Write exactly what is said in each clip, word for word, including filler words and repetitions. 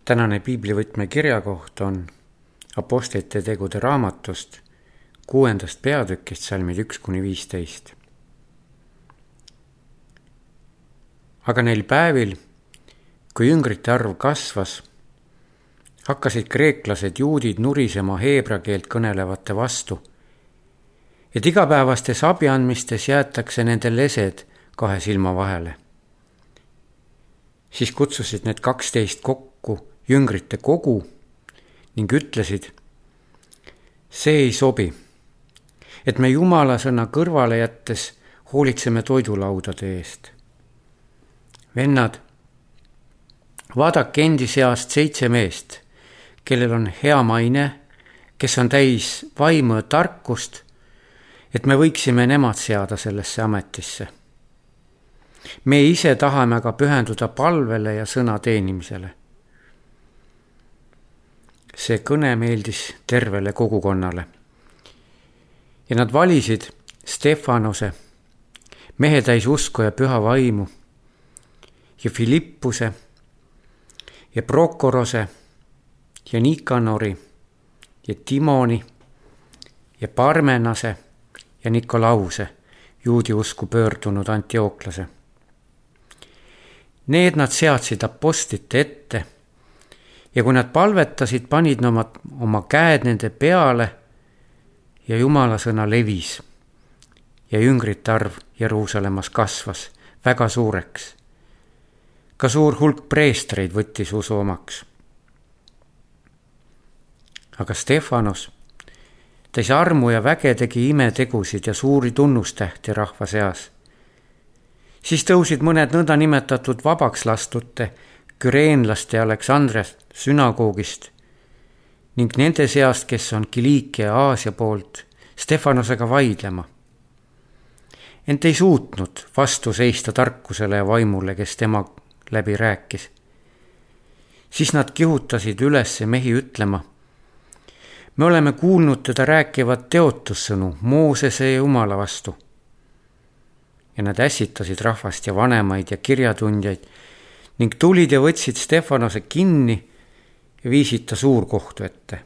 Tänane piiblivõtme kirjakoht on Apostlite tegude raamatust kuuendast peatükist salmid üks kuni viisteist. Aga neil päevil, kui jüngrite arv kasvas, hakkasid kreeklased juudid nurisema heebra keelt kõnelevate vastu, et igapäevastes abiandmistes jäetakse nende lesed kahe silma vahele. Siis kutsusid need kaksteist kokku jüngrite kogu ning ütlesid, see ei sobi, et me Jumala sõna kõrvale jättes hoolitseme toidulaudade eest. Vennad, vaadake endi seast seitse meest, kellel on hea maine, kes on täis vaimu ja tarkust, et me võiksime nemad seada sellesse ametisse. Me ise tahame aga pühenduda palvele ja sõna teenimisele. See kõne meeldis tervele kogukonnale. Ja nad valisid Stefanose, mehe täis usku ja püha vaimu, ja Filippuse, ja Prokorose, ja Nikanori, ja Timoni, ja Parmenase, ja Nikolause, juudi usku pöördunud Antiooklase. Need nad seadsid apostlite ette, ja kui nad palvetasid, panid oma, oma käed nende peale ja Jumala sõna levis. Ja jüngrite arv Jeruusalemmas kasvas väga suureks. Ka suur hulk preestreid võttis usu omaks. Aga Stefanos täis armu ja väge tegi imetegusid ja suuri tunnustähti rahva seas. Siis tõusid mõned nõnda nimetatud vabaks lastute, küreenlaste ja Aleksandriast sünagoogist ning nende seast, kes on Kiliikia ja Aasia poolt, Stefanosega vaidlema. Ent ei suutnud vastu seista tarkusele ja vaimule, kes tema läbi rääkis. Siis nad kihutasid üles mehi ütlema, me oleme kuulnud teda rääkivat teotussõnu Moosese ja Jumala vastu. Ja nad ässitasid rahvast ja vanemaid ja kirjatundjaid ning tulid ja võtsid Stefanose kinni ja viisid ta suurkohtu ette.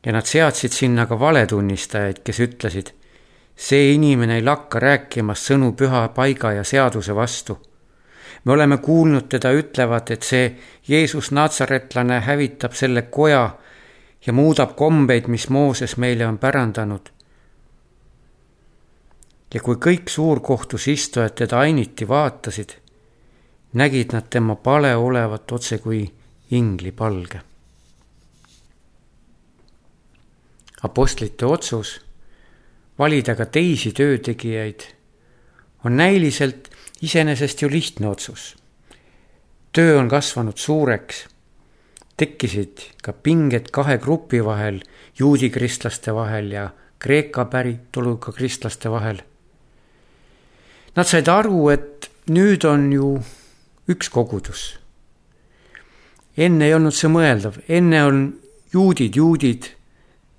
Ja nad seadsid sinna ka valetunnistajaid, kes ütlesid, see inimene ei lakka rääkimas sõnu püha paiga ja seaduse vastu. Me oleme kuulnud teda ütlevat, et see Jeesus Natsaretlane hävitab selle koja ja muudab kombeid, mis Mooses meile on pärandanud. Ja kui kõik suurkohtus istujad teda ainiti vaatasid, nägid nad tema pale olevat otse kui ingli palge. Apostlite otsus valida ka teisi töötegijaid on näiliselt iseenesest ju lihtne otsus. Töö on kasvanud suureks, tekkisid ka pinged kahe grupi vahel, juudi kristlaste vahel ja kreeka päritoluga kristlaste vahel. Nad said aru, et nüüd on ju üks kogudus. Enne ei olnud see mõeldav, enne on juudid, juudid,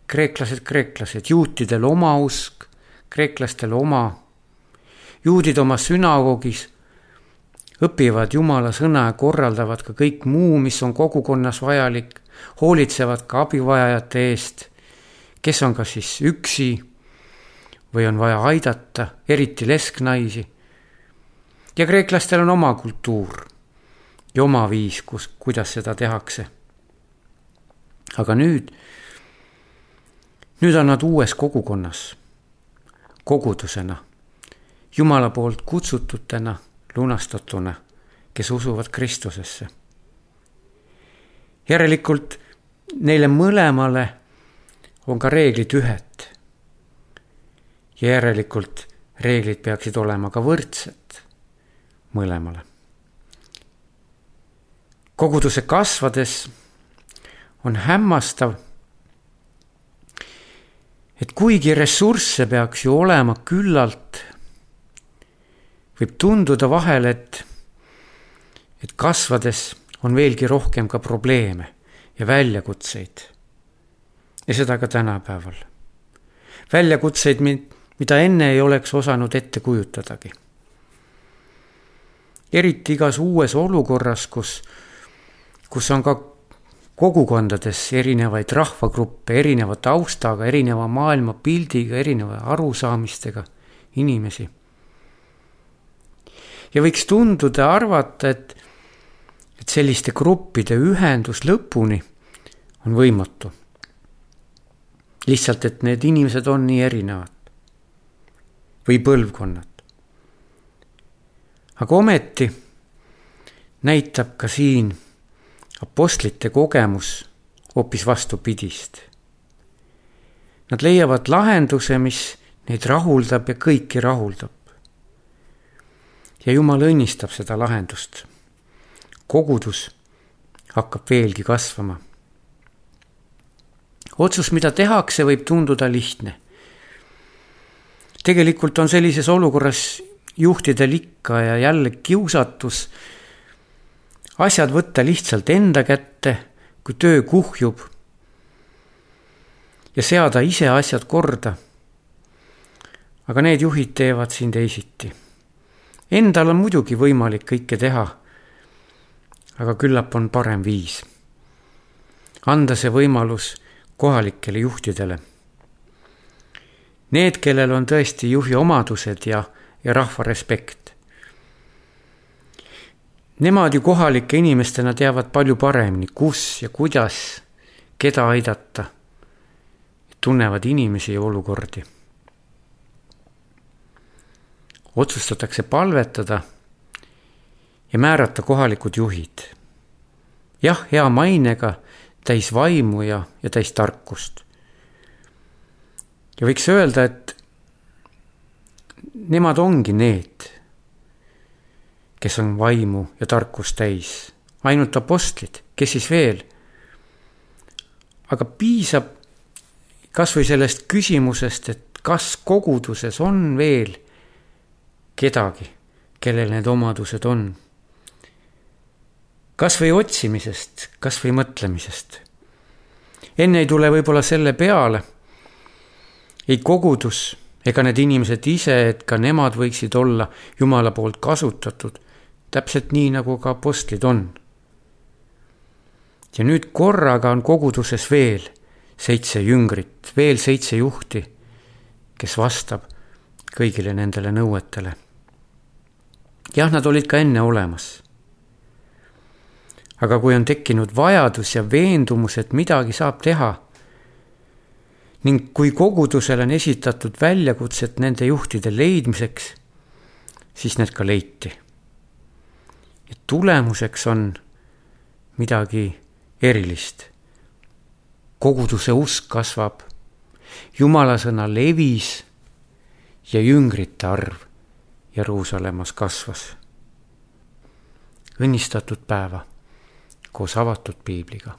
kreeklased, kreeklased, juutidel oma usk, kreeklastel oma. Juudid oma sünagoogis õpivad Jumala sõna ja korraldavad ka kõik muu, mis on kogukonnas vajalik, hoolitsevad ka abivajajate eest, kes on kas siis üksi või on vaja aidata, eriti lesknaisi. Ja kreeklastel on oma kultuur ja oma viis, kus, kuidas seda tehakse. Aga nüüd, nüüd on nad uues kogukonnas, kogudusena, Jumala poolt kutsututena, lunastatuna, kes usuvad Kristusesse. Järelikult neile mõlemale on ka reeglid ühed. Ja järelikult reeglid peaksid olema ka võrdsed mõlemale. Koguduse kasvades on hämmastav, et kuigi ressursse peaks ju olema küllalt, võib tunduda vahel, et, et kasvades on veelgi rohkem ka probleeme ja väljakutseid. Ja seda ka tänapäeval. Väljakutseid, mida enne ei oleks osanud ette kujutadagi. Eriti igas uues olukorras, kus kus on ka kogukondades erinevaid rahvagruppe, erineva taustaga, erineva maailmapildiga, erineva arusaamistega inimesi. Ja võiks tunduda arvata, et, et selliste gruppide ühendus lõpuni on võimatu. Lihtsalt, et need inimesed on nii erinevad või põlvkonnad. Aga ometi näitab ka siin apostlite kogemus hoopis vastupidist. Nad leiavad lahenduse, mis neid rahuldab ja kõiki rahuldab. Ja Jumal õnnistab seda lahendust. Kogudus hakkab veelgi kasvama. Otsus, mida tehakse, võib tunduda lihtne. Tegelikult on sellises olukorras juhtidel ikka ja jälle kiusatus asjad võtta lihtsalt enda kätte, kui töö kuhjub ja seada ise asjad korda. Aga need juhid teevad siin teisiti. Endal on muidugi võimalik kõike teha, aga küllap on parem viis. Anda see võimalus kohalikele juhtidele. Need, kellel on tõesti juhi omadused ja, ja rahva respekt. Nemad ju kohalike inimestena teavad palju paremini, kus ja kuidas, keda aidata. Tunnevad inimesi ja olukordi. Otsustatakse palvetada ja määrata kohalikud juhid. Jah, hea mainega, täis vaimu ja, ja täis tarkust. Ja võiks öelda, et nemad ongi need, kes on vaimu ja tarkust täis. Ainult apostlid, kes siis veel. Aga piisab kas või sellest küsimusest, et kas koguduses on veel kedagi, kellel need omadused on. Kas või otsimisest, kas või mõtlemisest. Enne ei tule võib-olla selle peale, ei kogudus ega need inimesed ise, et ka nemad võiksid olla Jumala poolt kasutatud, täpselt nii, nagu ka apostlid on. Ja nüüd korraga on koguduses veel seitse jüngrit, veel seitse juhti, kes vastab kõigile nendele nõuetele. Jah, nad olid ka enne olemas. Aga kui on tekkinud vajadus ja veendumus, et midagi saab teha, ning kui kogudusel on esitatud väljakutset nende juhtide leidmiseks, siis need ka leiti. Ja tulemuseks on midagi erilist. Koguduse usk kasvab, Jumala sõna levis ja jüngrite arv Jeruusalemmas kasvas. Õnnistatud päeva koos avatud piibliga.